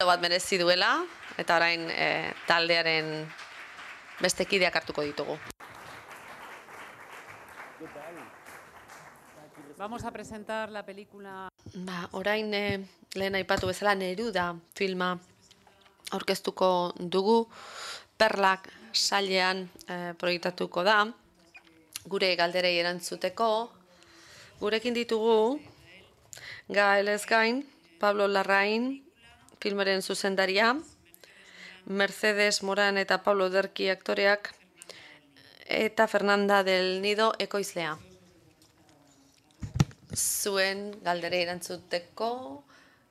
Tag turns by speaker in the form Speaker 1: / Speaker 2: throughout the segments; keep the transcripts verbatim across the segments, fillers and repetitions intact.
Speaker 1: bat merezi duela, eta orain e, taldearen beste kideak hartuko ditugu.
Speaker 2: Vamos a presentar la película.
Speaker 1: Ba, orain e, lehen aipatu bezala Neruda filma aurkeztuko dugu. Perlak sailean e, proiektatuko da, gure galderei erantzuteko. Gurekin ditugu Gaelez gain, Pablo Larrain, filmaren zuzendaria, Mercedes Moran eta Pablo Derki aktoreak, eta Fernanda del Nido ekoizlea. Zuen galderei erantzuteko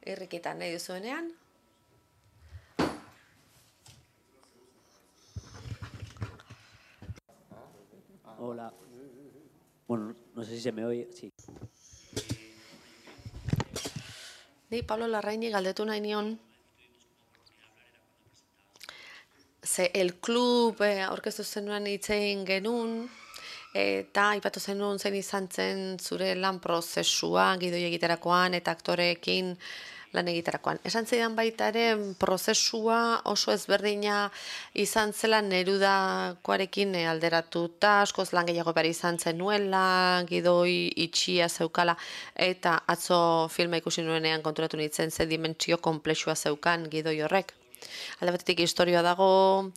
Speaker 1: irrikitan nahi duzuenean.
Speaker 3: Hola. Bueno, no sé si se me oye. Sí.
Speaker 1: Ni Pablo Larraini galdetu nahi nion, ze el klub aurkeztu zenuen hitz egin genuen, eta aipatu zenuen zein izan zen zure lan prozesua gidoi egiterakoan eta aktoreekin lan egiterakoan. Esan zidan baita ere prozesua oso ezberdina izan zela Nerudakoarekin alderatuta, askoz lan gehiago behar izan zenuela, gidoi itxia zeukala, eta atzo filma ikusi nuenean konturatu nintzen ze dimentsio konplexua zeukan gidoi horrek. Alde batetik historia dago,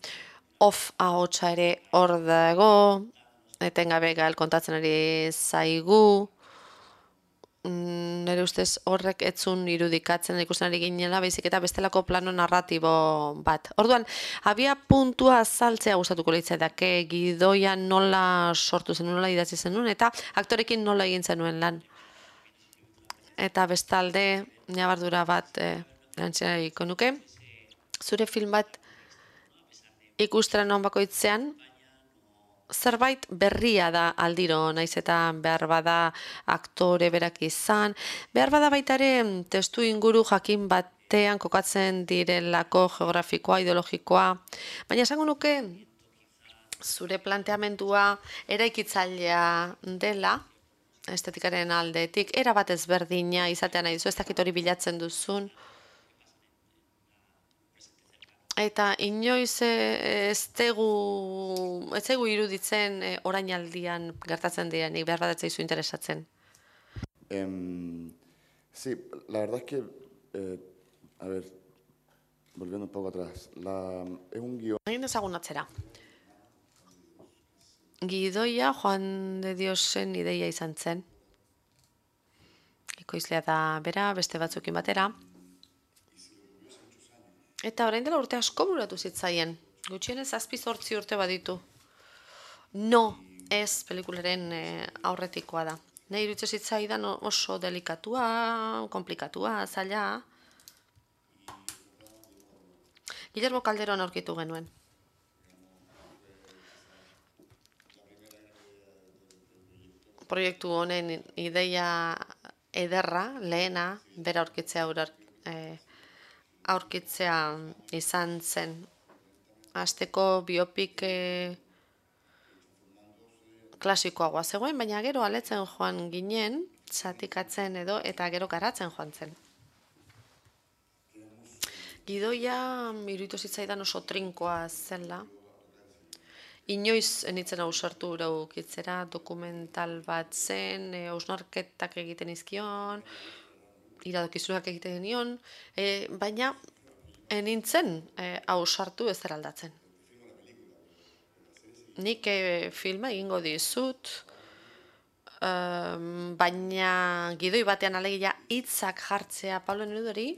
Speaker 1: off ahotsa ere hor dago, etengabe Gael kontatzen ari zaigu, nire ustez horrek etzun irudikatzen ikusten ari ginela, baizik eta bestelako plano narratibo bat. Orduan, abia puntua azaltzea gustatuko litzaidake, gidoia nola sortu zen, nola idatzi zenuen, eta aktorekin nola egin zenuen lan. Eta bestalde, nabardura bat eh, erantziako nuke, zure film bat ikustera non bakoitzean, zerbait berria da aldiro, naiz eta behar bada aktore berak izan, behar bada baita ere testu inguru jakin batean kokatzen direlako geografikoa, ideologikoa, baina esango nuke zure planteamendua eraikitzailea dela, estetikaren aldetik, era bat ezberdina izatean nahi duzu, ez dakit hori bilatzen duzun, eta inoiz ez tegu, ez tegu iruditzen orainaldian gertatzen direnik, behar bat etzaizu interesatzen.
Speaker 4: Eh, sí, la verdad es que, eh, a ver, volviendo un poco atrás, la, es un guión.
Speaker 1: Egin dezagun atzera. Gidoia Juan de Diosen ideia izan zen. Ekoizlea da bera, beste batzukin batera. Eta orain dela urte asko buratu zitzaien. Gutxienez zazpi zortzi urte baditu. No, ez pelikularen e, aurretikoa da. Nahi irutze zitzaidan oso delikatua, komplikatua, zaila. Guillermo Calderón aurkitu genuen. Proiektu honen ideia ederra, lehena, bera aurkitzea urar, e, aurkitzea izan zen. Azteko biopik e, klasikoagoa zegoen, baina gero aletzen joan ginen, zatikatzen edo, eta gero garatzen joan zen. Gidoia iruditu zitzaidan oso trinkoa zela. Inoiz enitzen ausartu uraukitzera, dokumental bat zen, e, ausnarketak egiten izkion, iradokizunak egiten nion, e, baina enintzen e, ausartu ez aldatzen. Nik e, filma egingo dizut, e, baina gidoi batean alegia hitzak jartzea Pablo Nerudori,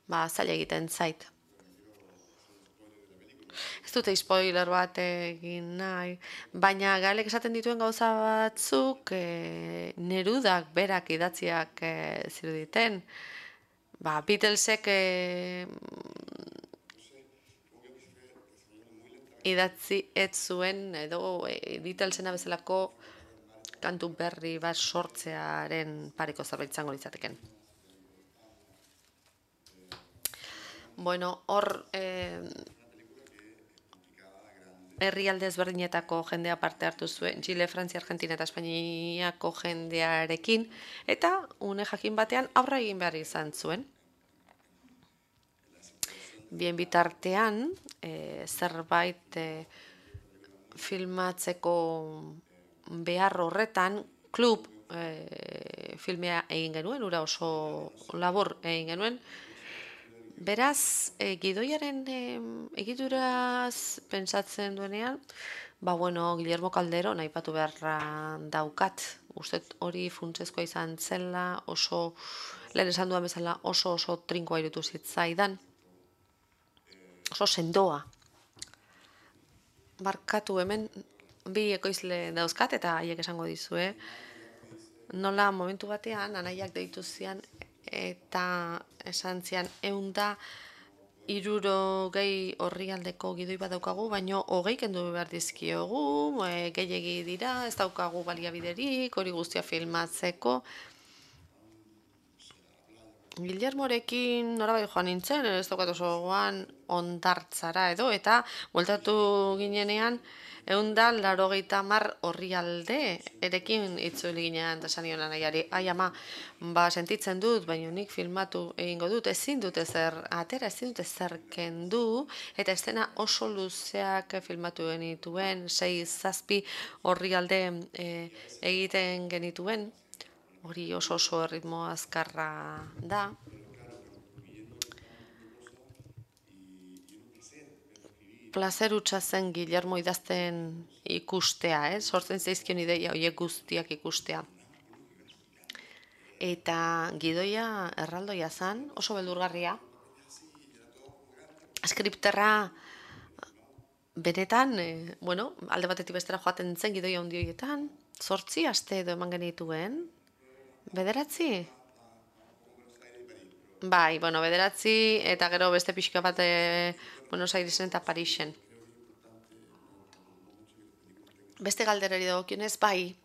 Speaker 1: ba, zaila egiten zait. Ez dute spoiler bat egin nahi, baina Gaelek esaten dituen gauza batzuk e, Nerudak berak idatziak e, ziruditen. Ba, Beatlesek e, idatzi ez zuen edo e, Beatlesena bezalako kantu berri bat sortzearen pareko zerbait izango litzateken. Bueno, hor e, herrialde ezberdinetako jendea parte hartu zuen, Chile, Frantzia, Argentina eta Espainiako jendearekin, eta une jakin batean aurra egin behar izan zuen. bien bitartean, e, zerbait e, filmatzeko behar horretan, klub e, filmea egin genuen, ura oso labur egin genuen. Beraz, e, gidoiaren e, egituraz pentsatzen duenean, ba bueno, Guillermo Calderon aipatu beharra daukat. Uste hori funtsezkoa izan zela, oso, lehen esan duan bezala, oso oso trinkoa irutu zitzaidan. Oso sendoa. Barkatu hemen, bi ekoizle dauzkat eta haiek esango dizue. Nola momentu batean, anaiak deitu zian eta esan zian eunda iruro gehi horri aldeko gidoi bat daukagu, baino hogei kendu behar dizkiogu, e, gehiegi dira, ez daukagu baliabiderik, hori guztia filmatzeko. Guillermorekin norabai joan nintzen, ez daukat oso gogoan ondartzara edo, eta bueltatu ginenean, eunda larogeita mar horri alde erekin itzuli ginean, eta esan nion anaiari, ai ama, ba sentitzen dut, baina nik filmatu egingo dut, ezin dut ezer atera, ezin dut ezer kendu, eta estena oso luzeak filmatu genituen, sei zazpi horri alde e, egiten genituen, hori oso oso erritmo azkarra da. Plazer hutsa zen Guillermo idazten ikustea, eh? Sortzen zaizkion ideia horiek guztiak ikustea. Eta gidoia erraldoia zen, oso beldurgarria. Skripterra benetan, eh, bueno, alde batetik bestera joaten zen gidoia handi horietan, zortzi aste edo eman genituen, bederatzi? Bai, bueno, bederatzi eta gero beste pixka bat e, Buenos Airesen eta Parisen. Beste galderari dagokionez, bai,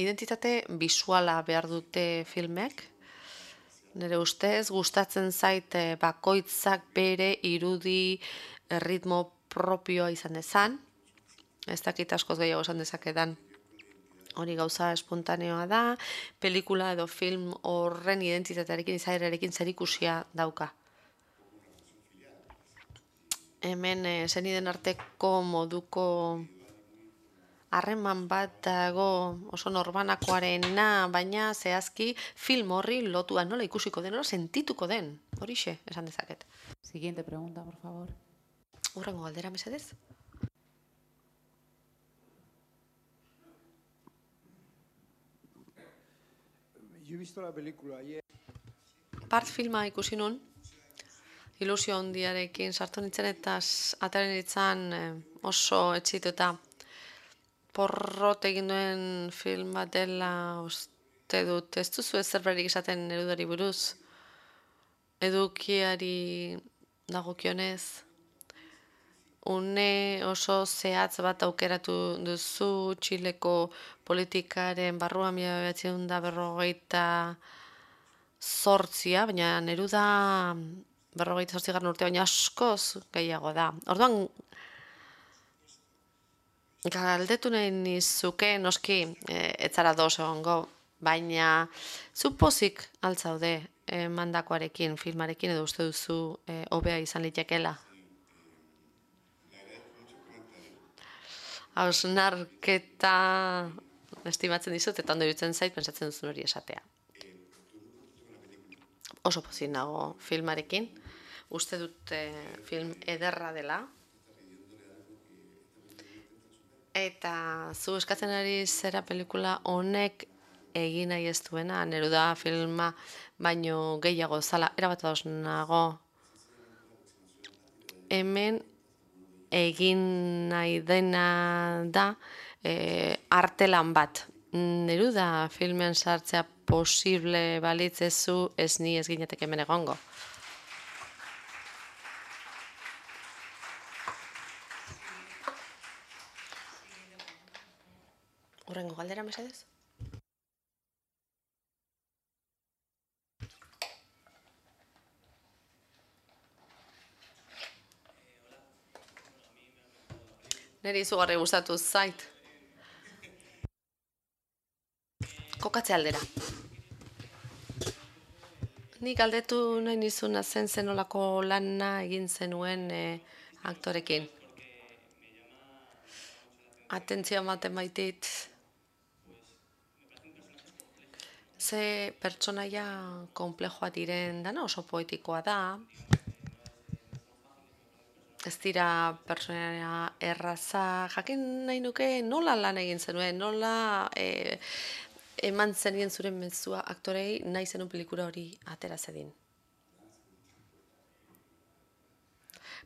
Speaker 1: identitate bisuala behar dute filmek. Nire ustez, gustatzen zait bakoitzak bere irudi ritmo propioa izan dezan. Ez dakit askoz gehiago esan dezakedan. Hori gauza espontaneoa da, pelikula edo film horren identitatearekin, izaerarekin zerikusia dauka. Hemen e, zeniden arteko moduko harreman bat dago oso norbanakoarena, baina zehazki film horri lotua nola ikusiko den, nola sentituko den, horixe esan dezaket.
Speaker 2: Siguiente pregunta, por favor.
Speaker 1: Hurrengo galdera mesedez.
Speaker 5: Yo he visto la película ayer.
Speaker 1: Part filma ikusi nun, ilusio handiarekin sartu nintzen eta ataren nintzen oso etxituta. Porrot egin duen film bat dela uste dut. Ez duzu ez zerberik esaten erudari buruz, edukiari dagokionez. Une oso zehatz bat aukeratu duzu Txileko politikaren barruan mila bederatziehun eta berrogeita zortzia, baina Neruda berrogeita zortzigarren urte, baina askoz gehiago da. Orduan, galdetu nahi nizuke, noski, e, etzara dos egongo, baina zu pozik altzaude e, mandakoarekin, filmarekin, edo uste duzu e, hobea izan litekeela. Hausnarketa estimatzen dizut, eta ondo iruditzen zait, pentsatzen duzun hori esatea. Oso pozik nago filmarekin. Uste dut film ederra dela. Eta zu eskatzen ari zera pelikula honek egin nahi ez duena, Neruda filma baino gehiago zala, erabat ados nago. Hemen egin nahi dena da e, artelan bat. Neruda filmen sartzea posible balitzezu ez ni ez ginetek hemen egongo. Hurrengo galdera mesedez? Neri izugarri gustatu zait. Kokatze aldera. Nik galdetu nahi nizuna zen zenolako lana egin zenuen e, aktorekin. Atentzioa ematen baitit. Ze pertsonaia konplejoa diren dana oso poetikoa da. Ez dira pertsonaia erraza. Jakin nahi nuke nola lan egin zenuen, nola e, eman zenien zure mezua aktorei nahi zenun pelikula hori atera zedin.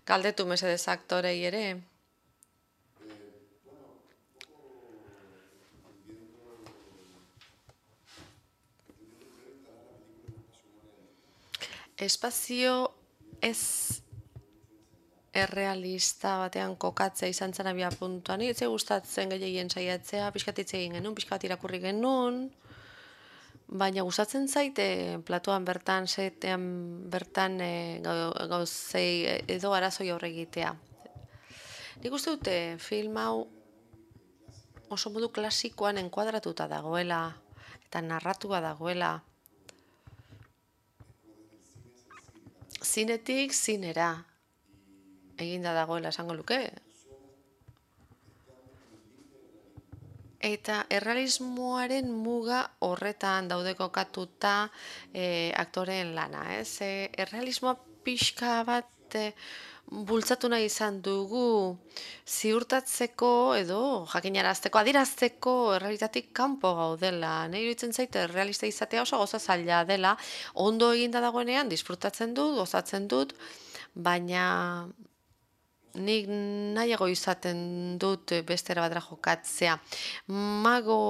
Speaker 1: Galdetu mesedez aktorei ere. Espazio ez errealista batean kokatzea izan zen abia puntuan. Ni ez gustatzen gehiagien saiatzea, pixkat hitz egin genuen, pixkat irakurri genuen, baina gustatzen zaite platuan bertan, setean bertan e, gauzei edo arazoi aurre egitea. Nik uste dute film hau oso modu klasikoan enkuadratuta dagoela eta narratua dagoela. Zinetik zinera eginda dagoela esango luke. Eta errealismoaren muga horretan daude kokatuta e, aktoreen lana. Ez? E, errealismoa pixka bat e, bultzatu nahi izan dugu ziurtatzeko edo jakinarazteko, adirazteko errealitatik kanpo gaudela. Nahi iruditzen zaite errealista izatea oso goza zaila dela, ondo eginda dagoenean disfrutatzen dut, gozatzen dut, baina nik nahiago izaten dut bestera badra jokatzea. Mago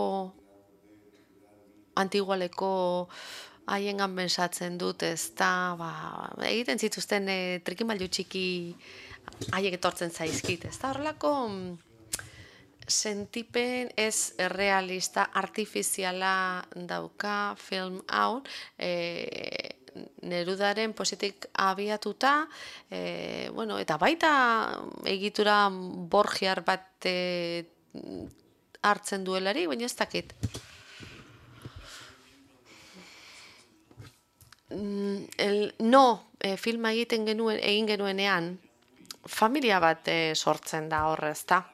Speaker 1: antigualeko haiengan pensatzen dut, ez da, ba, egiten zituzten e, trikimailu txiki haiek etortzen zaizkit, ez da, horrelako sentipen ez realista, artifiziala dauka film hau, e, Nerudaren positik abiatuta, e, bueno, eta baita egitura borgiar bat e, hartzen duelari, baina ez dakit. El, no, e, filma egiten genuen, egin genuenean, familia bat e, sortzen da horrez, da.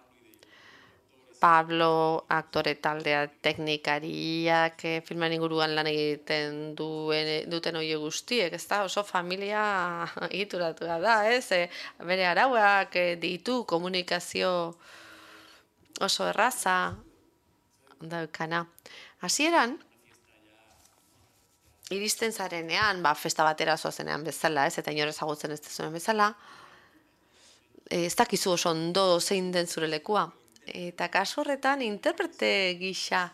Speaker 1: Pablo, aktore taldea, teknikariak, eh, filman inguruan lan egiten duen, duten horiek guztiek, ez da, oso familia egituratua da, ez? E, bere arauak e, ditu komunikazio oso erraza daukana. Hasieran, iristen zarenean, ba, festa batera zoazenean bezala, ez? Eta inor ezagutzen ez dezunen bezala, e, ez dakizu oso ondo zein den zure lekua. Eta kasu horretan interprete gisa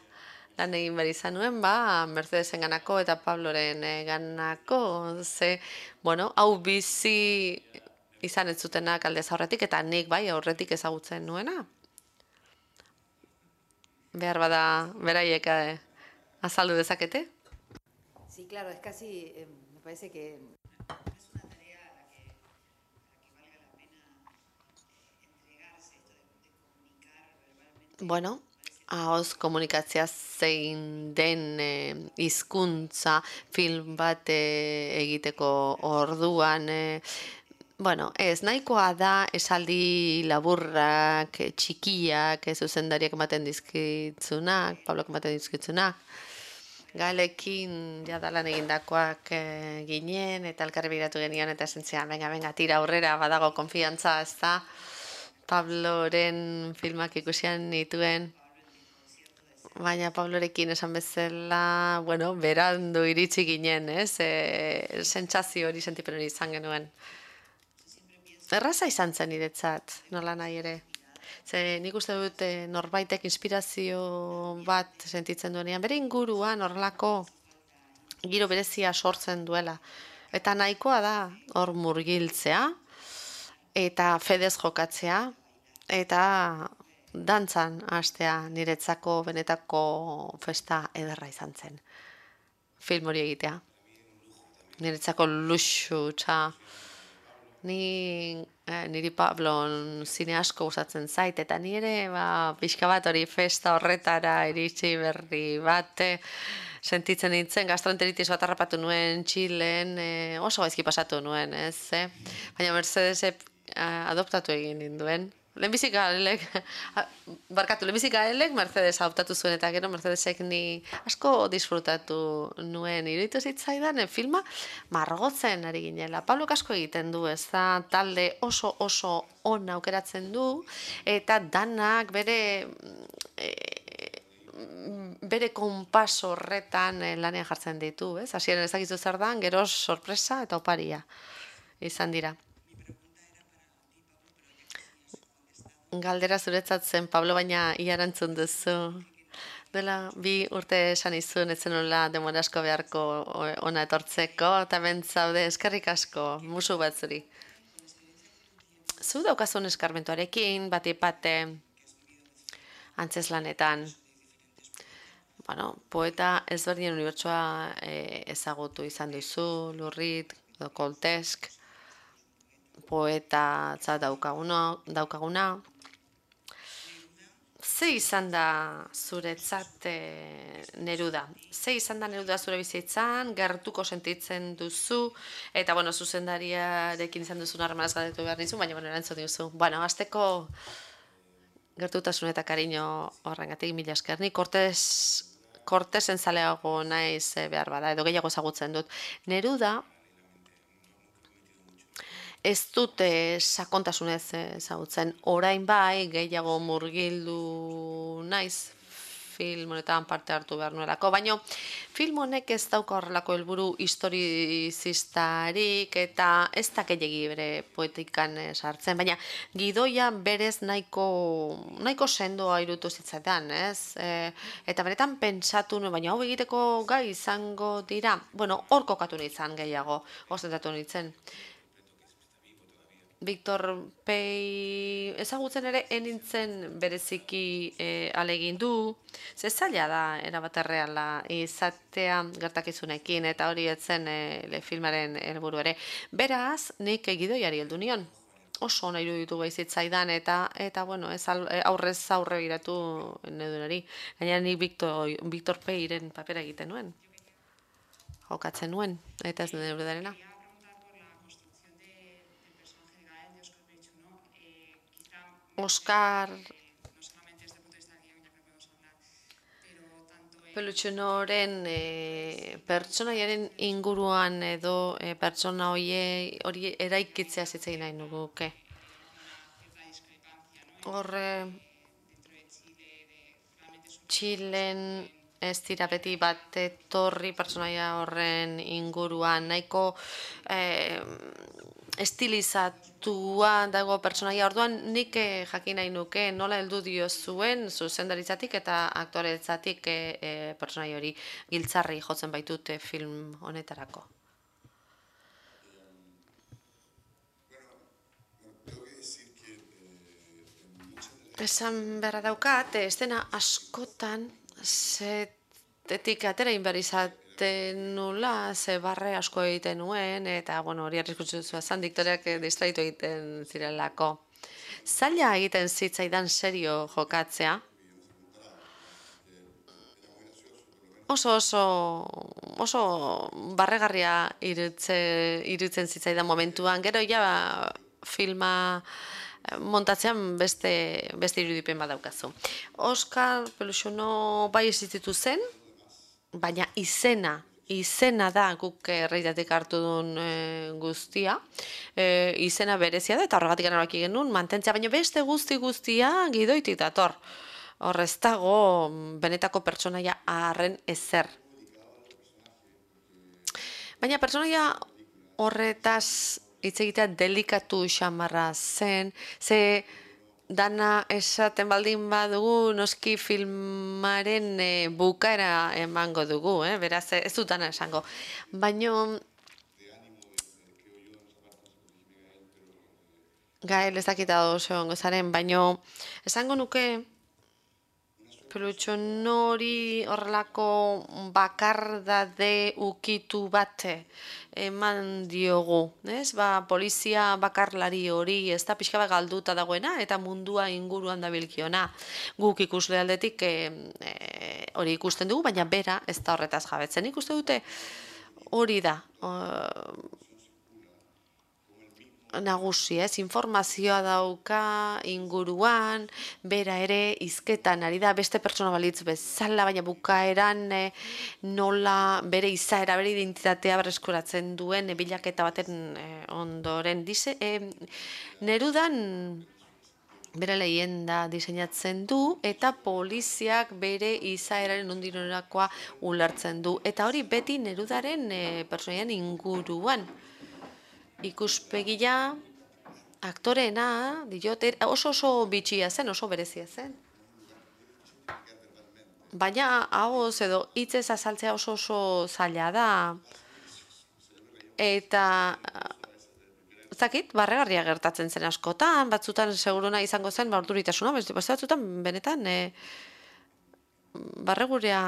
Speaker 1: lan egin behar izan nuen, ba, Mercedesen ganako eta Pabloren ganako, ze, bueno, hau bizi izan ez zutenak aldez aurretik, eta nik bai aurretik ezagutzen nuena. Behar bada beraiek eh, azaldu dezakete?
Speaker 2: Sí, claro, es casi, eh, me parece que
Speaker 1: Bueno, ahoz komunikatzea zein den e, hizkuntza film bat e, egiteko orduan, e, bueno, ez, nahikoa da esaldi laburrak, e, txikiak, e, zuzendariak ematen dizkitzunak, Pablok ematen dizkitzunak, Galekin jadalan egindakoak e, ginen, eta elkarri begiratu genion, eta esentzian, venga, venga, tira aurrera, badago konfiantza, ez da, Pabloren filmak ikusian nituen, baina Pablorekin esan bezala, bueno, berandu iritsi ginen, ez? E, sentsazio hori, sentipen hori izan genuen. Erraza izan zen niretzat, nola nahi ere. Ze nik uste dut norbaitek inspirazio bat sentitzen duenean, bere inguruan horrelako giro berezia sortzen duela. Eta nahikoa da hor murgiltzea, eta fedez jokatzea, eta dantzan hastea niretzako benetako festa ederra izan zen. Film hori egitea. Niretzako luxu, txa. Ni, eh, niri Pablon zine asko gustatzen zait, eta ni ere ba, pixka bat hori festa horretara iritsi berri bat, sentitzen nintzen, gastroenteritis bat harrapatu nuen Txilen, e, oso gaizki pasatu nuen, ez, eh? Baina Mercedesek adoptatu egin ninduen. Lehenbizik gaelek, barkatu, lehenbizik gaelek Mercedes adoptatu zuen, eta gero Mercedesek ni asko disfrutatu nuen. Iruditu zitzaidan filma margotzen ari ginela. Pablok asko egiten du, ez da, talde oso oso ona aukeratzen du, eta danak bere bere konpas horretan lanean jartzen ditu, ez? Hasieran ez dakizu zer dan, gero sorpresa eta oparia izan dira. Galdera zuretzat zen, Pablo, baina ia erantzun duzu. Dela, bi urte esan izun, etzen nola demora asko beharko ona etortzeko, eta bentzaude eskerrik asko, musu bat zuri. Zu daukazun eskarmentuarekin, bat ipate antzeslanetan. Bueno, poeta ezberdinen unibertsoa ezagutu izan duzu, Lurrit, Koltesk, poeta daukaguna. Ze izan da zuretzat Neruda? Ze izan da Neruda zure bizitzan, gertuko sentitzen duzu, eta, bueno, zuzendariarekin izan duzun harremanaz galdetu behar nizu, baina, bueno, erantzun duzu. Bueno, azteko gertutasun eta kariño horrengatik mila esker. Ni Kortesen zaleago naiz behar bada, edo gehiago ezagutzen dut. Neruda ez dute sakontasunez ezagutzen, orain bai gehiago murgildu naiz film honetan parte hartu behar nuelako, baina film honek ez dauka horrelako helburu historizistarik eta ez da gehiegi bere poetikan sartzen, baina gidoia berez nahiko nahiko sendoa irutu zitzaidan, ez? Eta benetan pentsatu nuen, baina hau egiteko gai izango dira, bueno, hor kokatu nintzen gehiago, ostentatu nintzen. Victor Pei ezagutzen ere enintzen bereziki alegin du, ze zaila da erabat erreala izatea gertakizunekin, eta hori etzen filmaren helburu ere. Beraz, nik gidoiari heldu nion. Oso ona iruditu baizitzaidan, eta, eta bueno, ez aurrez aurre biratu Nerudari. Gainera nik Victor Peiren papera egiten nuen. Jokatzen nuen, eta ez Nerudarena. Oscar Pelutxunoren pertsonaiaren inguruan edo pertsona hori eraikitzea zitzegin nahi nuguke. Horre Txilen ez dira beti bat etorri pertsonaia horren inguruan, nahiko estilizatua dago pertsonaia, orduan nik jakin nahi nuke nola heldu dio zuen zuzendaritzatik eta aktoretzatik pertsonaia hori giltzarri jotzen baitute film honetarako. Esan beharra daukat, estena askotan zetetik atera inberizat nula, ze barre asko egiten nuen, eta, bueno, hori arriskutsu zua zan, diktoreak distraitu egiten zirelako. Zaila egiten zitzaidan serio jokatzea. Oso, oso, oso barregarria irutzen zitzaidan momentuan, gero ja filma montatzean beste irudipen badaukazu. Oscar Pelutxuno bai existitu zen, baina izena, izena da guk erreitatik hartu duen guztia, izena berezia da, eta horregatik erabaki genuen mantentzea, baina beste guzti guztia gidoitik dator. Hor ez dago benetako pertsonaia harren ezer. Baina pertsonaia horretaz hitz egitea delikatu xamarra zen, ze dana esaten baldin badugu, noski filmaren bukaera emango dugu, beraz ez dut dana esango. Baina Gael ez dakita oso ongo zaren, baina esango nuke pelutxo nori horrelako bakardade ukitu bat eman diogu, ez? Ba, polizia bakarlari hori, ez da pixka bat galduta dagoena, eta mundua inguruan dabilkiona. Guk ikusle aldetik e, e, hori ikusten dugu, baina bera ez da horretaz jabetzen. Ikuste dute hori da, nagusi, ez, informazioa dauka inguruan, bera ere hizketan ari da beste pertsona balitz bezala, baina bukaeran e, nola bere izaera, bere identitatea berreskuratzen duen e, bilaketa baten e, ondoren. Dize, e, Nerudan bere lehenda diseinatzen du eta poliziak bere izaeraren ondinorakoa ulertzen du. Eta hori beti Nerudaren e, pertsonaian inguruan. Ikuspegia, aktoreena, diot, oso oso bitxia zen, oso berezia zen. Baina, hau edo, hitzez azaltzea oso oso zaila da. Eta, zakit, barregarria gertatzen zen askotan, batzutan seguruna izango zen, ba, urduritasuna, beste batzutan, benetan, e, barregurea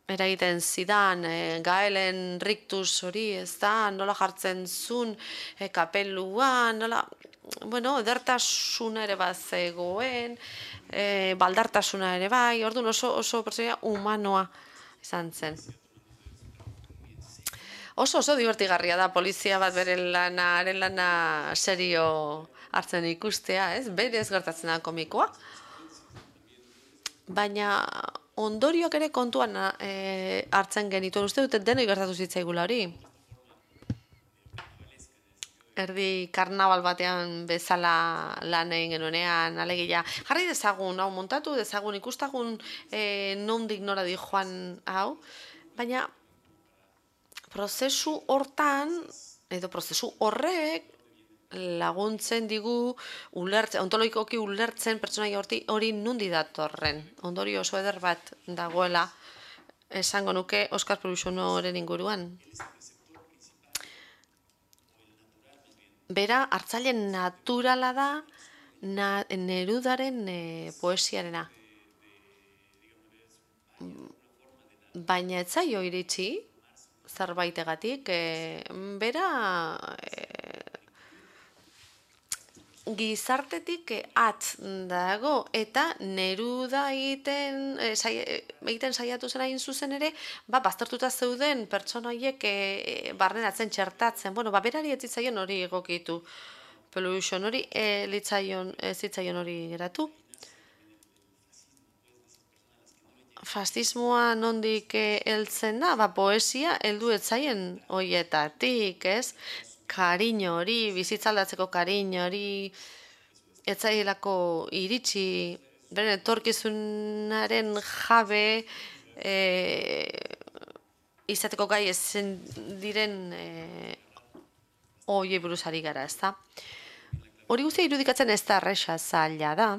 Speaker 1: eragiten zidan, e, Gaelen rictus hori, ez da, nola jartzen zun, e, kapeluan, nola, bueno, edertasuna ere bat zegoen, e, baldartasuna ere bai, orduan oso, oso pertsonaia humanoa izan zen. Oso oso divertigarria da polizia bat bere lana, haren lana serio hartzen ikustea, ez? Berez gertatzen da komikoa. Baina ondorioak ere kontuan e, hartzen genituen, uste dute denoi gertatu zitzaigula hori. Erdi karnabal batean bezala lan egin genuenean, alegia, jarri dezagun, hau montatu dezagun, ikustagun e, nondik nora di joan hau, baina prozesu hortan, edo prozesu horrek, laguntzen digu ulertzen, ontologikoki ulertzen pertsonaia hori nundi datorren. Ondorio oso eder bat dagoela esango nuke Oskar Pelusonoren inguruan. Bera, hartzaile naturala da na, Nerudaren e, poesiarena. Baina ez zaio iritsi zerbaitegatik, e, bera e, gizartetik atz dago eta Neruda egiten e, sai, egiten saiatu zen hain zuzen ere, ba, baztertuta zeuden pertsona horiek e, barneratzen, txertatzen. Bueno, ba, berari ez zitzaion hori egokitu. Peluson hori e, litzaion, ez zitzaion hori geratu. Fascismoa nondik heltzen da, ba, poesia heldu ez zaien hoietatik, ez? Kariño hori, bizitzaldatzeko kariño hori, etzaielako iritsi, beren etorkizunaren jabe e, izateko gai ezen diren e, horiei buruz ari gara, ez da? Hori guztia irudikatzen ez da erresa zaila da,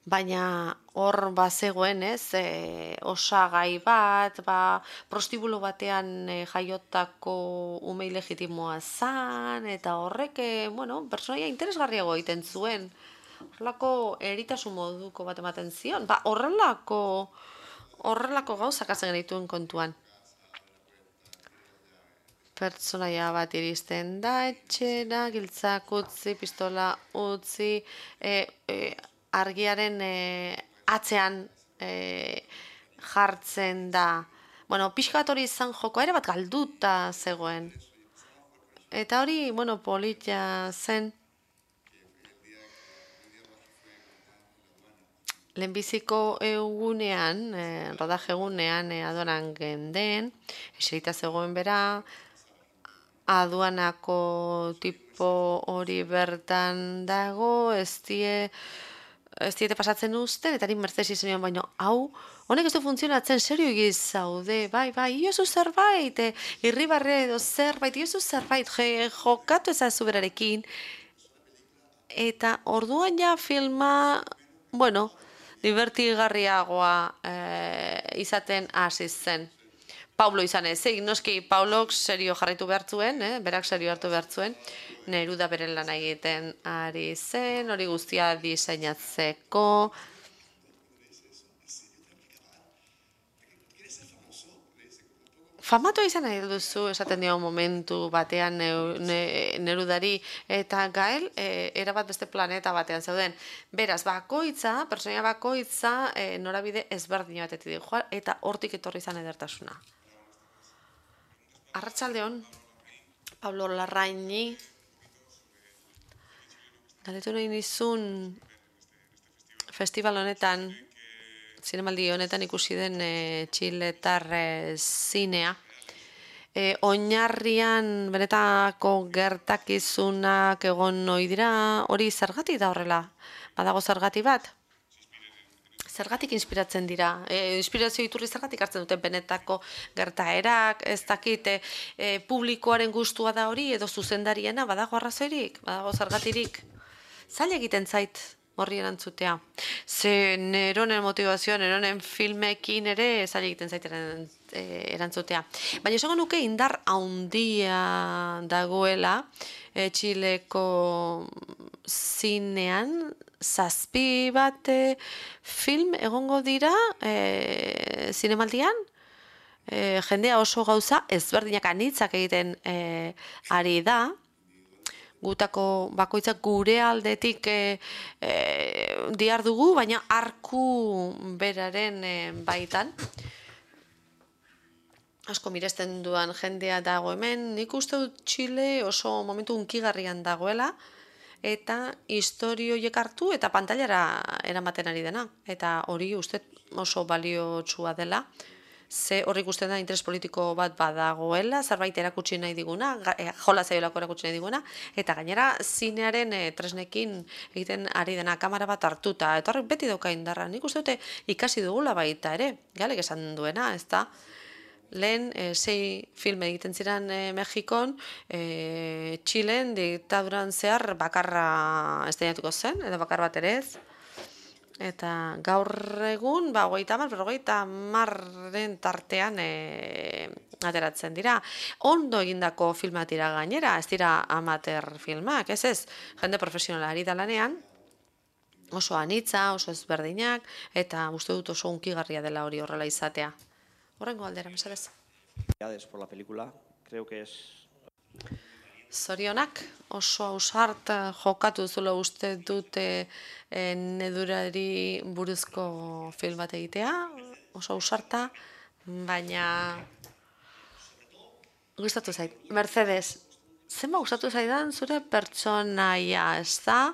Speaker 1: baina hor bazegoen, ez, e, osagai bat, ba, prostibulo batean e, jaiotako umei legitimoa zan, eta horrek, e, bueno, pertsonaia interesgarriago egiten zuen. Horrelako eritasun moduko bat ematen zion, ba, horrelako, horrelako gauzak hartzen genituen kontuan. Pertsonaia bat iristen da, etxera, giltzak utzi, pistola utzi, e, e, argiaren e, atzean e, jartzen da. Bueno, pixka bat hori izan joko, ere bat galduta zegoen. Eta hori, bueno, politia zen. Lehenbiziko egunean, e, rodaje egunean, e, aduanan genden, eserita zegoen bera, aduanako tipo hori bertan dago, ez die, ez diete pasatzen uzten, eta nik mertzesi zenion, baina hau, honek ez du funtzionatzen, serio egiz zaude, bai, bai, iozu zerbait, e, irribarre edo zerbait, iozu zerbait, je, jokatu ezazu berarekin, eta orduan ja filma, bueno, divertigarriagoa e, izaten hasi zen. Paulo izan ez, egin noski Paulok serio jarraitu behar zuen, eh? Berak serio hartu behar zuen, Neruda beren lan egiten ari zen, hori guztia diseinatzeko, Famatua izan nahi duzu, esaten dio momentu batean neu- ne- Nerudari eta Gael e, erabat beste planeta batean zeuden. Beraz, bakoitza, pertsonaia bakoitza e, norabide ezberdin batetik dijoa eta hortik etorri izan edertasuna. Arratsaldeon, Pablo Larraini, galdetu nahi nizun festival honetan, zinemaldi honetan ikusi den e, txiletar e, zinea. E, oinarrian benetako gertakizunak egon ohi dira, hori zergatik da horrela? Badago zergati bat? Zergatik inspiratzen dira? E, inspirazio iturri zergatik hartzen duten benetako gertaerak, ez dakit, e, e, publikoaren gustua da hori, edo zuzendariena, badago arrazoirik, badago zergatirik? Zaila egiten zait horri erantzutea. Ze neronen motivazioa, neronen filmekin ere zaila egiten zait erantzutea. Baina esango nuke indar haundia dagoela e, Txileko zinean, zazpi bat e, film egongo dira e, zinemaldian, e, jendea oso gauza ezberdinak anitzak egiten e, ari da, gutako bakoitzak gure aldetik e, e, diar dugu, baina arku beraren e, baitan. Asko miresten duan jendea dago hemen, nik uste dut Txile oso momentu hunkigarrian dagoela, eta historioiek hartu eta pantailara eramaten ari dena. Eta hori uste oso baliotsua dela. Ze horrik ikusten da interes politiko bat badagoela, zerbait erakutsi nahi diguna, jola zaiolako erakutsi nahi diguna, eta gainera zinearen e, tresnekin egiten ari dena kamera bat hartuta, eta horrek beti dauka indarra. Nik uste dute ikasi dugula baita ere, galek esan duena, ez da? Lehen e, sei film egiten ziren e, Mexikon, e, Txilen diktaduran zehar bakarra esteinatuko zen, edo bakar bat ere ez. Eta gaur egun, ba, hogeita hamar, berrogeita hamarren tartean e, ateratzen dira. Ondo egindako filmak dira gainera, ez dira amateur filmak, ez ez, jende profesionalari da lanean, oso anitza, oso ezberdinak, eta uste dut oso hunkigarria dela hori horrela izatea. Horrengo aldera, mesedez.
Speaker 6: Por la película, creo que es...
Speaker 1: Zorionak, oso ausart jokatu zuela uste dute e, Nedurari buruzko film bat egitea, oso ausarta, baina gustatu zait. Mercedes, zenba gustatu zaidan zure pertsonaia, ez da?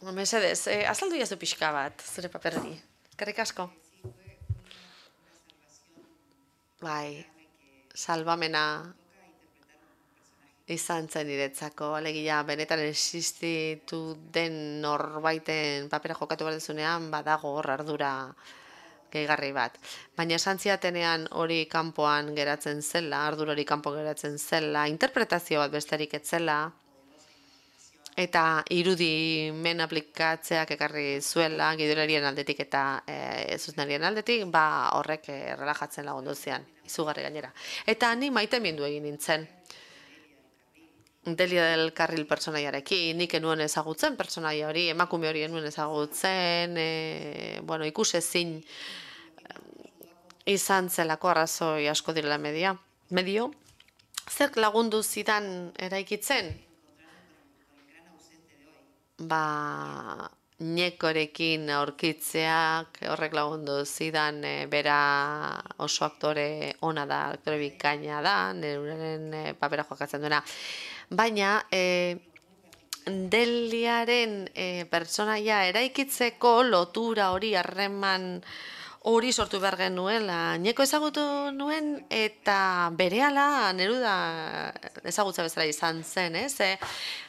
Speaker 1: Mercedes, e, azaldu jazu pixka bat zure paperari. Eskerrik asko. Bai, salbamena izan zen niretzako, alegia benetan existitu den norbaiten papera jokatu behar dezunean, badago hor ardura gehigarri bat. Baina esan ziatenean hori kanpoan geratzen zela, ardura hori kanpo geratzen zela, interpretazio bat besterik etzela, eta irudimen aplikatzeak ekarri zuela, gidolarien aldetik eta e, zuzenarien aldetik, ba horrek e, relajatzen lagundu zian, izugarri gainera. Eta ni maite mindu egin nintzen. Delia del Carril pertsonaiarekin, nik enuen ezagutzen pertsonaia hori, emakume hori enuen ezagutzen, e, bueno, ikusezin izan zelako arrazoi asko direla media. Medio, zer lagundu zidan eraikitzen? Ba, Ñekorekin aurkitzeak horrek lagundu zidan e, bera oso aktore ona da, aktore bikaina da, Neruraren e, papera jokatzen duena. Baina, e, Deliaren e, pertsonaia eraikitzeko lotura hori, harreman hori sortu behar genuela. Ñeko ezagutu nuen eta berehala Neruda ezagutza bezala izan zen, ez? E,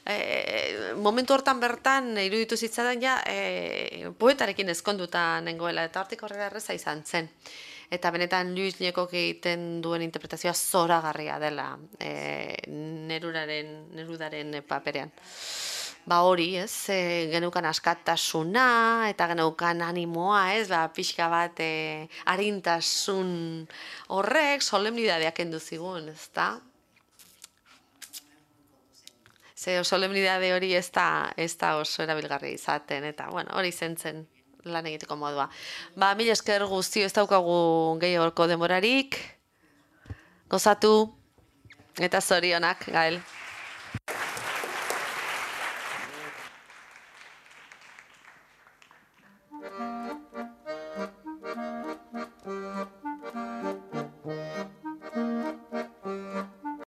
Speaker 1: e, momentu hortan bertan iruditu zitzadan ja e, poetarekin ezkonduta nengoela eta hortik horrela erreza izan zen. Eta benetan Luis Ñekok egiten duen interpretazioa zoragarria dela e, Neruraren, Nerudaren paperean. Ba hori, ez, e, geneukan askatasuna eta geneukan animoa, ez, ba, pixka bat e, arintasun horrek solemnidadeak kendu zigun, ez da? Ze solemnidade hori ez da, ez da oso erabilgarri izaten, eta bueno, hori zen zen lan egiteko modua. Ba, mila esker guztio ez daukagu gehiagoko denborarik. Gozatu eta zorionak, Gael.